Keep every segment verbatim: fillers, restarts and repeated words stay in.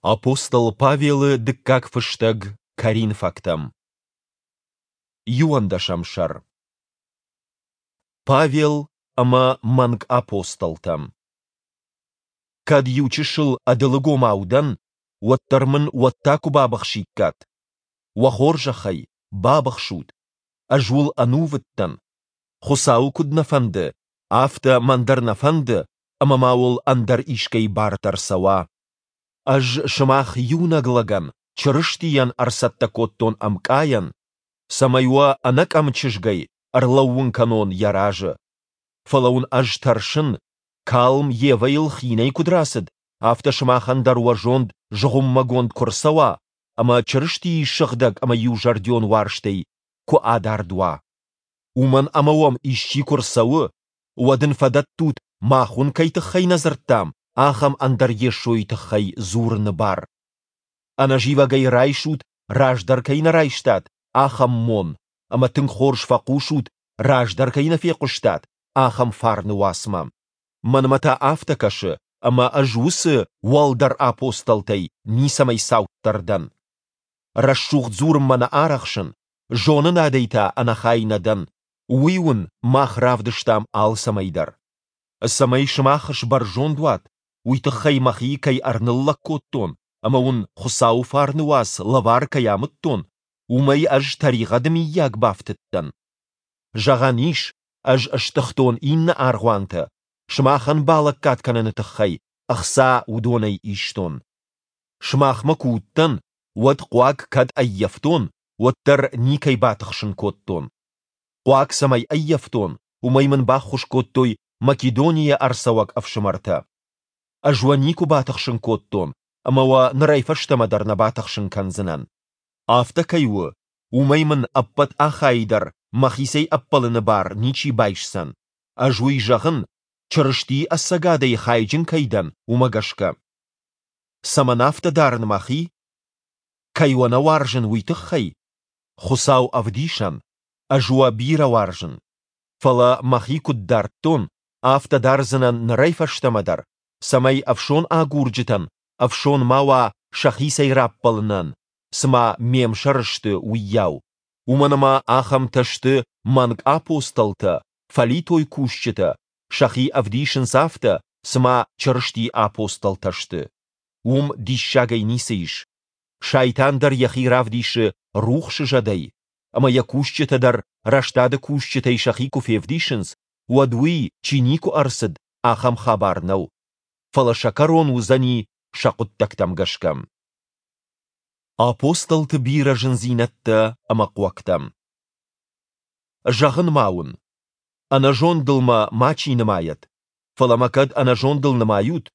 Апостол Павелы дыккаг фыстӕг Коринфӕгтӕм. Иуӕндӕсӕм сӕр. Павел ӕмӕ мӕнг апостолтӕ. Кӕд иучысыл ӕдылыгомау дӕн, уӕддӕр мын уӕд та куы бабыхсиккат. Уӕ хорзӕхӕй, бабыхсут. Ӕз уыл ӕнувыд дӕн. Хуыцауы куыд нӕ фӕнды, афтӕ мӕн дӕр нӕ фӕнды, ӕмӕ ма уыл ӕндӕр искӕй бар дӕр цӕуа. Ӕз сымах иунӕг лӕгӕн, Чырыстийӕн, ӕрцӕттӕ кодтон ӕмкъайӕн, цӕмӕй уӕ ӕнӕкъӕм чызгӕй ӕрлӕууын кӕнон йӕ разы. Фӕлӕ уын ӕз тӕрсын, калм Евӕйыл хинӕй куыд рацыд, афтӕ сымахӕн дӕр уӕ зонд зыгъуыммӕгонд куы рцӕуа ӕмӕ Чырыстийы сыгъдӕг ӕмӕ иузӕрдион уарзтӕй куы адард уа. Уымӕн ӕмӕ уӕм исчи куы рцӕуы, уӕд ын фӕдӕттут, мах уын кӕй тыххӕй нӕ дзырдтам, ахӕм ӕндӕр Йесойы тыххӕй дзурыны бар. Ӕнӕзивӕгӕй райсут, раздӕр кӕй нӕ райстат, ахӕм мон, ӕмӕ тынг хорз фӕхъусут, раздӕр кӕй нӕ фехъуыстат, ахӕм фарны уацмӕ. Мӕнмӕ та афтӕ кӕсы, ӕмӕ ӕз уыцы уӕлдӕр апостолтӕй ницӕмӕй цауддӕр дӕн. Рӕсугъд дзурынмӕ нӕ арӕхсын, зонынадӕй та ӕнӕхай нӕ дӕн. Уый уын мах равдыстам алцӕмӕй дӕр. Цӕмӕй сымах сбӕрзонд уат, уый тыххӕй мӕхи кӕй ӕрныллӕг кодтон ӕмӕ уын Хуыцауы фарны уац лӕвар кӕй амыдтон, уымӕй ӕз тӕригъӕды миййаг бафтыдтӕн? Зӕгъӕн ис, ӕз стыгътон иннӕ аргъуантӕ, сымахӕн балӕггад кӕныны тыххӕй ӕхца уыдонӕй истон. Сымахмӕ куы уыдтӕн, уӕд хъуаг кӕд ӕййӕфтон, уӕддӕр никӕй батыхсын кодтон. Хъуаг цӕмӕй ӕййӕфтон, уымӕй мын баххуыс кодтой Македонийӕ ӕрцӕуӕг ӕфсымӕртӕ. Ӕз уӕ никуы батыхсын кодтон ӕмӕ уӕ нырӕй фӕстӕмӕ дӕр нӕ батыхсын кӕндзынӕн. Афтӕ кӕй у, уымӕй мын ӕппӕт Ахайы дӕр мӕхицӕй ӕппӕлыны бар ничи байсдзӕн. Ӕз уый зӕгъын, Чырыстийы ӕцӕгадӕй хайджын кӕй дӕн, уымӕ гӕсгӕ. Цӕмӕн афтӕ дарын мӕхи? Кӕй уӕ нӕ уарзын, уый тыххӕй? Хуыцау ӕвдисӕн, ӕз уӕ бирӕ уарзын. Фӕлӕ мӕхи куыд дардтон, афтӕ дардзынӕн нырӕй фӕстӕмӕ дӕр, цӕмӕй ӕфсон агурджытӕн ӕфсон ма уа сӕхицӕй раппӕлынӕн, цыма ме мсӕр сты, уыйау. Уымӕн ӕмӕ ахӕмтӕ сты мӕнг апостолтӕ, фӕлитой кусджытӕ, сӕхи ӕвдисынц афтӕ, цыма Чырыстийы апостолтӕ сты. Уым диссагӕй ницы ис. Сайтан дӕр йӕхи равдисы рухсы зӕдӕй, ӕмӕ йӕ кусджытӕ дӕр рӕстады кусджытӕй сӕхи куы февдисынц, уӕд уый, чи никуы ӕрцыд, ахӕм хабар нӕу. Фӕлӕ сӕ кӕрон уыдзӕни сӕ хъуыддӕгтӕм гӕсгӕ. Апостолты бирӕ зындзинӕдтӕ ӕмӕ хъуӕгтӕ. Зӕгъын ма уын, ӕнӕзондыл мӕ мачи нымайӕд, фӕлӕ мӕ кӕд ӕнӕзондыл нымайут,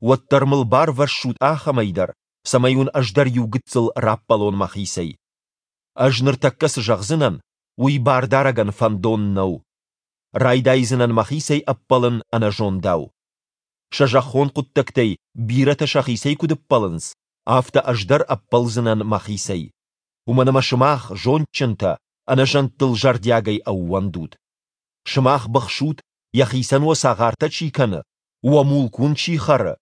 уӕддӕр мыл барвӕссут ахӕмӕй дӕр, цӕмӕй уын ӕз дӕр иу гыццыл раппӕлон мӕхицӕй. Ӕз ныртӕккӕ цы зӕгъдзынӕн, уый бардарӕгӕн фӕндон нӕу. Райдайдзынӕн мӕхицӕй ӕппӕлын ӕнӕзондау. Сӕ зӕххон хъуыддӕгтӕй бирӕтӕ сӕхицӕй куыд ӕппӕлынц, афтӕ ӕз дӕр ӕппӕлдзынӕн мӕхицӕй. Уымӕн ӕмӕ сымах, зондджынтӕ, ӕнӕзӕндтыл зӕрдиагӕй ӕууӕндут. Сымах быхсут, йӕхицӕн уӕ цагъартӕ чи кӕны, уӕ мулк уын чи хӕры,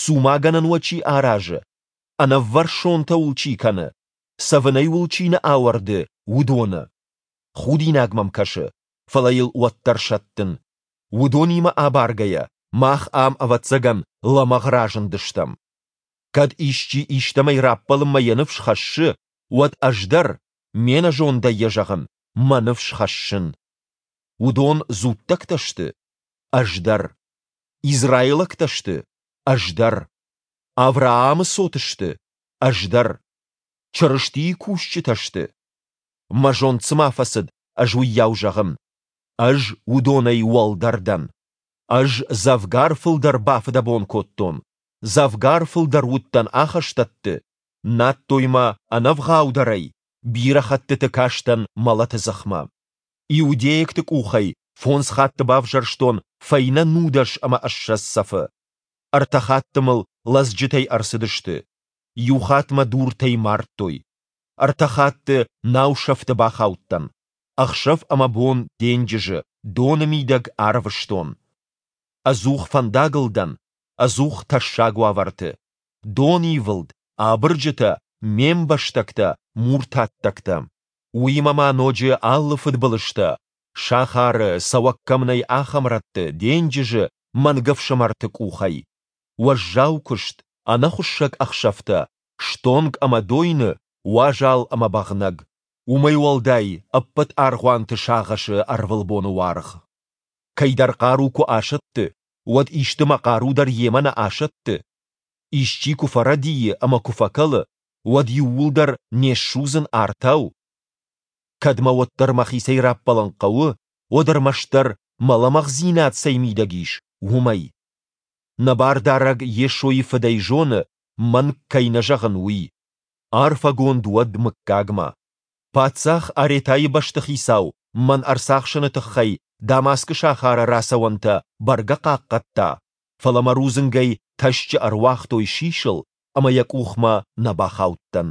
цумагӕнӕн уӕ чи аразы, ӕнӕввӕрсонтӕ уыл чи кӕны, цӕвынӕй уыл чи нӕ ауӕрды, уыдоны. Худинаг мӕм кӕсы, фӕлӕ йыл уӕддӕр сӕттын. Уыдонимӕ абаргӕйӕ, мах ам, ӕвӕццӕгӕн, лӕмӕгъ разындыстӕм. Кӕд исчи истӕмӕй раппӕлынмӕ йӕ ныфс хӕссы, уӕд ӕз дӕр, ме нӕзондӕй йӕ зӕгъын, мӕ ныфс хӕссын. Уыдон дзуттӕгтӕ сты? Ӕз дӕр. Израилӕгтӕ сты? Ӕз дӕр. Авраамы цот сты? Ӕз дӕр. Чырыстийы кусджытӕ сты? Мӕ зонд цыма фӕцыд, ӕз уыйау зӕгъын. Ӕз уыдонӕй уӕлдӕр дӕн. Ӕз дзӕвгар фылдӕр бафыдӕбон кодтон, дзӕвгар фылдӕр уыдтӕн ахӕстӕтты, надтой мӕ ӕнӕвгъаудӕрӕй, бирӕ хӕттыты кастӕн мӕлӕты дзыхмӕ. Иудейӕгты къухӕй фондз хатты бавзӕрстон фӕйнӕ нудӕс ӕмӕ ссӕдз цӕфы. Ӕртӕ хатты мыл лӕдзджытӕй ӕрцыдысты. Иу хатт мӕ дуртӕй мардтой. Ӕртӕ хатты наусӕфты бахаудтӕн. Ӕхсӕв ӕмӕ бон денджызы, доны мидӕг ӕрвыстон. Ӕдзух фӕндагыл дӕн, ӕдзух тӕссаг уавӕрты. Донивылд, абырджытӕ, ме мбӕстӕгтӕ, муртаттӕгтӕ. Уыимӕ ма ноджы алы фыдбылызтӕ, сахары, цӕуӕг кӕм нӕй, ахӕм рӕтты, денджызы, мӕнгӕфсымӕрты къухӕй. Уӕззау куыст, ӕнӕхуыссӕг ӕхсӕвтӕ, стонг ӕмӕ дойны, уазал ӕмӕ бӕгънӕг. Уымӕй уӕлдай, ӕппӕт аргъуанты сагъӕсы ӕрвылбоны уаргъ. Кӕйдӕр хъару куы асӕтты, уӕд исты мӕ хъару дӕр йемӕ нӕ асӕтты? Исчи куы фӕрӕдийы ӕмӕ куы фӕкӕлы, уӕд иууылдӕр не ссудзын артау? Кӕд мӕ уӕддӕр мӕхицӕй раппӕлын хъӕуы, уӕд ӕрмӕстдӕр, мӕ лӕмӕгъдзинад цӕй мидӕг ис, уымӕй. Нӕ Бардарӕг Йесойы Фыд ӕй зоны, мӕнг кӕй нӕ зӕгъын, уый. Арфӕгонд уӕд мыггагмӕ. Паддзах Аретайы бӕстыхицау мӕн ӕрцахсыны тыххӕй Дамаскы сахары рацӕуӕнтӕ бӕргӕ хъахъхъӕдта, фӕлӕ мӕ рудзынгӕй тӕсчъы ӕруагътой сисыл, ӕмӕ йӕ къухмӕ нӕ бахаудтӕн.